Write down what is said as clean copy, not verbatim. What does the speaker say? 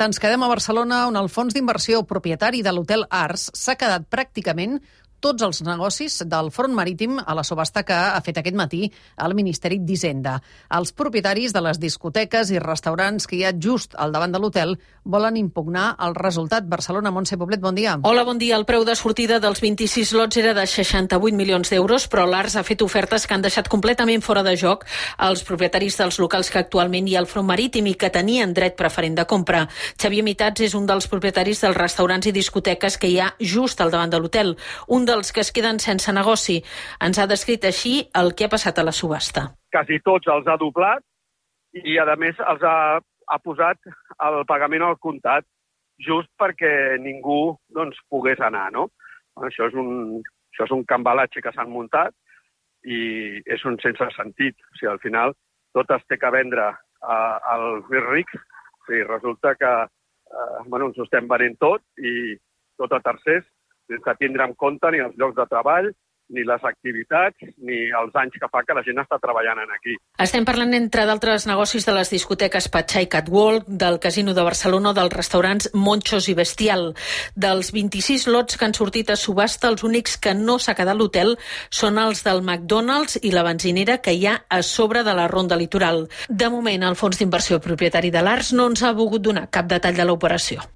Ens quedem a Barcelona, on el fons d'inversió propietari de l'hotel Ars s'ha quedat pràcticament tots els negocis del front marítim a la subhasta que ha fet aquest matí el Ministeri d'Hisenda. Els propietaris de les discoteques i restaurants que hi ha just al davant de l'hotel volen impugnar el resultat. Barcelona, Montse Poblet, bon dia. Hola, bon dia. El preu de sortida dels 26 lots era de 68 milions d'euros, però l'Ars ha fet ofertes que han deixat completament fora de joc els propietaris dels locals que actualment hi ha al front marítim i que tenien dret preferent de compra. Xavier Mitats és un dels propietaris dels restaurants i discoteques que hi ha just al davant de l'hotel, un dels que es queden sense negoci. Ens ha descrit així el que ha passat a la subhasta. Quasi tots els ha doblat i, a més, els ha posat el pagament al comptat just perquè ningú pogués anar, no? Això és un cambalatge que s'han muntat i és un sense sentit. O sigui, al final, tot es té que vendre als més rics. O sigui, resulta que ens ho estem venent tot i tot a tercers, sense tindre en compte ni els llocs de treball, ni les activitats, ni els anys que fa que la gent està treballant aquí. Estem parlant, entre d'altres negocis, de les discoteques Patxà i Catwalk, del Casino de Barcelona, dels restaurants Monchos i Bestial. Dels 26 lots que han sortit a subhasta, els únics que no s'ha quedat l'hotel són els del McDonald's i la benzinera que hi ha a sobre de la Ronda Litoral. De moment, el fons d'inversió propietari de l'Ars no ens ha volgut donar cap detall de l'operació.